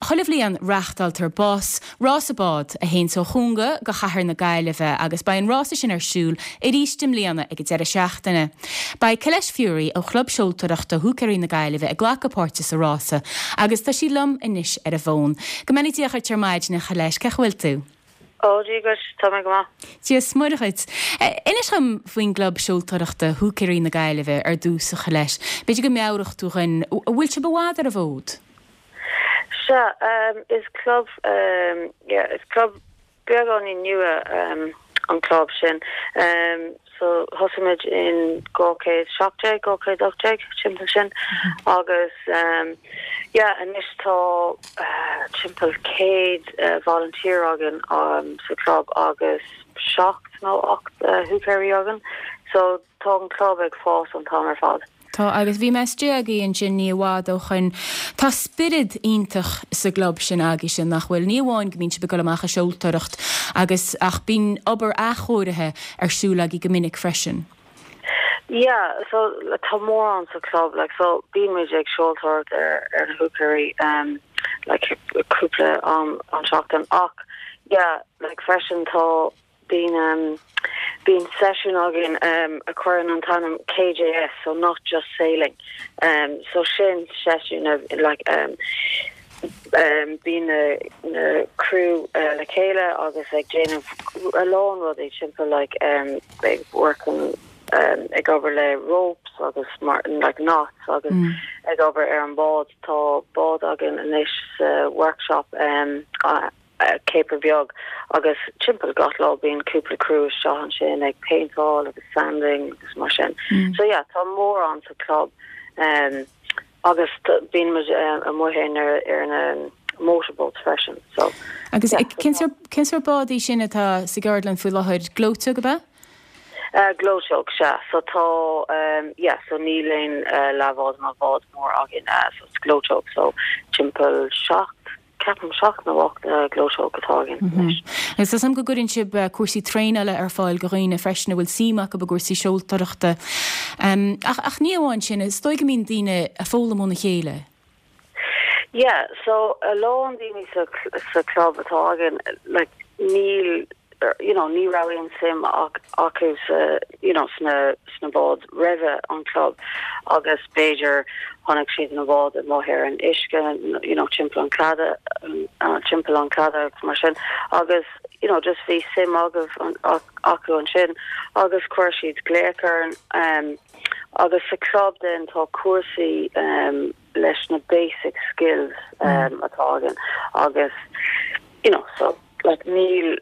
Chuile bhliain reáchtáiltear bás, rása bád, a théanns ó Chonga go chathair na Gaillimhe agus beidh an rása sin ar siúl arís i mbliana ag an deireadh seachtaine. Beidh Colette Furey ó Chlub Seoltóireachta Húicéirí na Gaillimhe ag glacadh páirte sa rása agus tá sí liom anois ar an bhfón. Go mbeannaí Dia dhuit ar maidin, a Cholette, cén chaoi a bhfuil tú? Ó, Dia dhuit, tá mé go maith. Dia is Muire dhuit. Inis dhom faoin gClub Seoltóireachta Húicéirí na Gaillimhe ar dtús, a Cholette. B'fhéidir go meabhródh tú dhuinn, an bhfuil sibh i bhfad ar an bhfód? Sea, is club, yeah, is club beagáinín nua an club sin. So thosaigh muid in 2017, 2018, timpeall sin agus yeah anois tá timpeall 100 volunteer againn sa club agus 7 nó 8 húicéirí againn. So tá an club ag fás an t-am ar fad. Tá, agus bhí mé istigh agaibh ansin ní i bhfad ó shoin. Tá spiorad iontach sa gclub sin agaibhse, nach bhfuil? Ní amháin go mbíonn sibh ag dul amach ag seoltóireacht agus, ach bíonn obair athchóirithe ar siúl agaibh go minic freisin. Yeah, so tá mórán sa club, like, so bíonn muid ag seoltóireacht ar, ar na húicéirí, um, like, cúpla am an tseachtain ach, yeah, like, freisin tá, Bíonn bíonn seisiún againn a chuireann an t-ainm KJS, so not just sailing. So sin seisiún like bíonn na na criú le chéile agus ag déanamh a lán rudaí timpeall like ag working ag obair le ropes agus mar like knots agus ag obair ar an bád. Tá bád againn anois sa workshop. Ceapaire Beag agus timpeall gach lá bíonn cúpla criú isteach ansin ag péinteáil agus sanding agus mar sin. So yeah, tá mórán sa club um, agus bíonn muid um, amuigh in ar, ar na motorboats freisin. So, Agus yeah, cén sórt cén sórt bád í sin atá sa gceardlann faoi láthair? Gleoiteog ab ea? Uh, gleoiteog, sea. So tá, um, yeah, so níl aon uh, leathbhád nó bád mór againn, uh, so it's gleoiteog, so timpeall 7 Ceapaim 7 nó 8 gleoiteog atá againn anois. Agus tá 'fhios a'm go gcuireann sibh cúrsaí traenála ar fáil go dhaoine freisin a bhfuil suim acu i gcúrsaí seoltóireachta. Ach ach ní amháin sin, is dóigh go mbíonn daoine ag foghlaim óna chéile. Yeah, so a lán daoine sa sa club atá againn, like níl you know ní raibh aon suim acu sa you know sna sna báid roimhe an club agus b'fhéidir chonaic siad na báid amuigh ar an uisce you know timpeall an clada timpeall an clada agus mar sin agus you know just bhí suim agaibh acu ansin agus chuir siad glaoch orainn um, agus sa club then tá cúrsaí um, leis na basic skills um, atá againn agus you know so like níl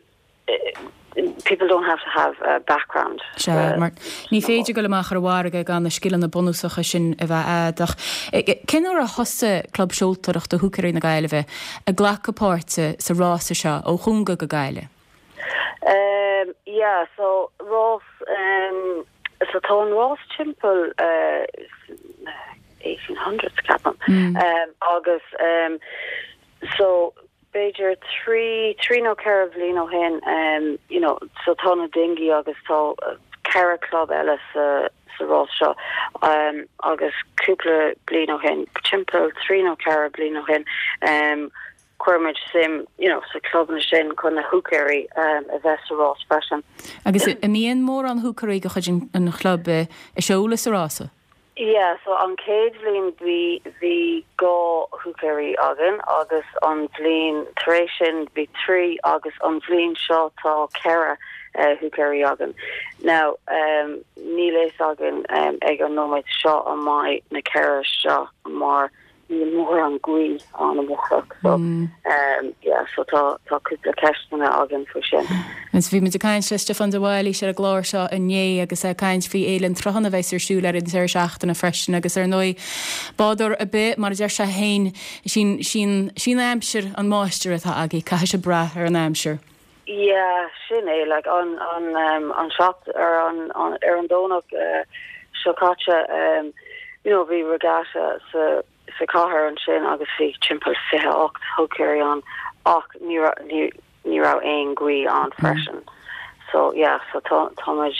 people don't have to have a background. Sea, mar ní féidir dul amach ar an bhfarraige gan na scileanna bunúsacha sin a bheith a'd. Ach cén uair a thosaigh Club Seoltóireachta Húicéirí na Gaillimhe ag glacadh páirte sa rása seo ó Chonga go Gaillimh? Um, yeah, so rás, um, so tá an rás timpeall uh, 1800s ceapaim. Mm. Um, agus um, So, b'fhéidir 3, 3 nó 4 bhliain ó shin, you know, so tá na dinghy agus tá 4 club eile sa, sa rás seo, agus cúpla bliain ó shin, timpeall 3 nó 4 bliain ó shin, chuir muid suim, you know, sa clubanna sin chun na húicéirí a bheith sa rás freisin. Agus an mbíonn mórán húicéirí de chuid an chlub ag seoladh sa rása? Yeah, so an chéad bhliain bhí, bhí 2 húicéirí againn agus an bhliain tar éis sin bhí 3 agus an bhliain seo tá 4 húicéirí againn. Now, um, níl fhios againn um, ag an nóiméad seo an mbeidh na 4 seo mar Níl mórán gaoth ann amárach so yeah so tá tá cúpla ceisteanna againn faoi sin. Agus bhí muid ag caint le Stiofán de Bhailís ar an gclár seo inné agus é ag caint faoi Fhéile an tSrutháin a bheas ar siúl ar an deireadh seachtaine freisin agus ar ndóigh bádóir ar bith mar a deir sé féin sí sí sí an aimsir an máistir atá agaibh caithfidh sibh brath ar an aimsir. Yeah sin é like an an um, an seacht ar an an ar an Domhnach uh, seo caite um, you know bhí regatta sa sa cathair ansin agus bhí timpeall 28 húicéirí ann ach ní ní ní raibh aon gaoth ann freisin. So yeah so tá tá muid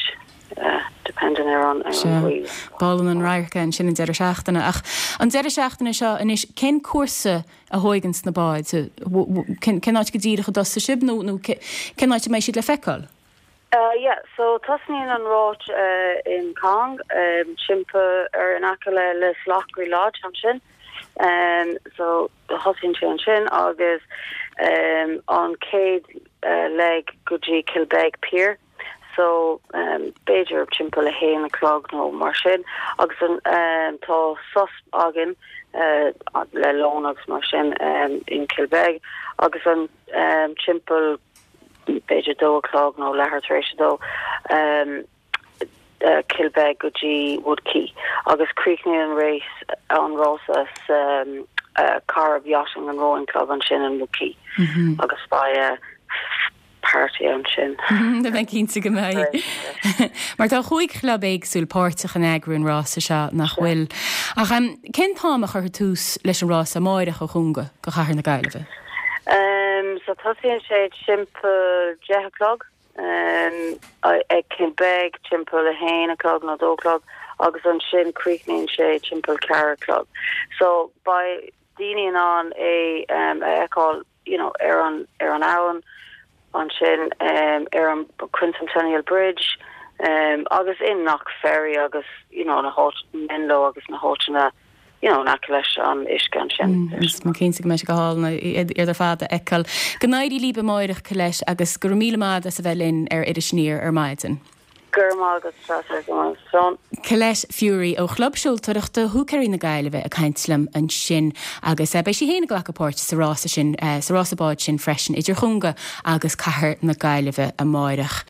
uh, dependent. depending ar an ghaoth. B'álainn an radharc é ansin an deireadh seachtaine. Ach an deireadh seachtaine seo anois, cén cúrsa a thóigeanns na báid? Cén áit go díreach a dtosaigh sibh nó cén áit a mbeidh siad le feiceáil? Yeah, so tosnaíonn an rás in Cong, timpeall ar in aice le Lisloughry Lodge ansin. So thosaíonn sé ansin agus an chéad leg go dtí Kilbeg Pier. So b'fhéidir timpeall a haon a chlog nó mar sin agus an tá sos againn le lón agus mar sin in Kilbeg agus an timpeall b'fhéidir dó a chlog nó leathuair tar éis a dó Kilbeg go dtí Wood Quay agus críochnaíonn an race an rása sa Corrib Yachting and Rowing Club ansin in Wood Quay agus beidh party ansin. Tá mé cinnte go mbeidh. Mar tá chúig chlub éagsúil páirteach in eagrú an rása seo, nach bhfuil? Ach cén t-am a chuirfear tús leis an rása amáireach ó Chonga go Cathair na Gaillimhe? So tosaíonn sé timpeall 10 a chlog ag Kilbeg timpeall 1 a chlog nó 2 a chlog agus ansin críochnaíonn sé timpeall 4 a chlog. So beidh daoine in ann é a fheiceáil you know, ar an, ar an abhainn, ansin ar an Quincentennial Bridge agus in Knock Ferry agus, you know, na háit, Menlo agus na háiteanna, you know, in aice leis an uisce ansin. Tá mé cinnte go mbeidh sé go hálainn iad ar fad a fheiceáil. Go n-éirí libh amáireach, Colette, agus go raibh míle maith agat as a bheith linn ar Iris Aniar ar maidin. Go raibh maith agat, Treasa. Colette Furey ó Chlub Seoltóireachta Húicéirí na Gaillimhe ag caint liom ansin agus beidh sí féin ag glacadh páirt sa rása sin, sa rása báid sin freisin idir Chonga agus Cathair na Gaillimhe amáireach.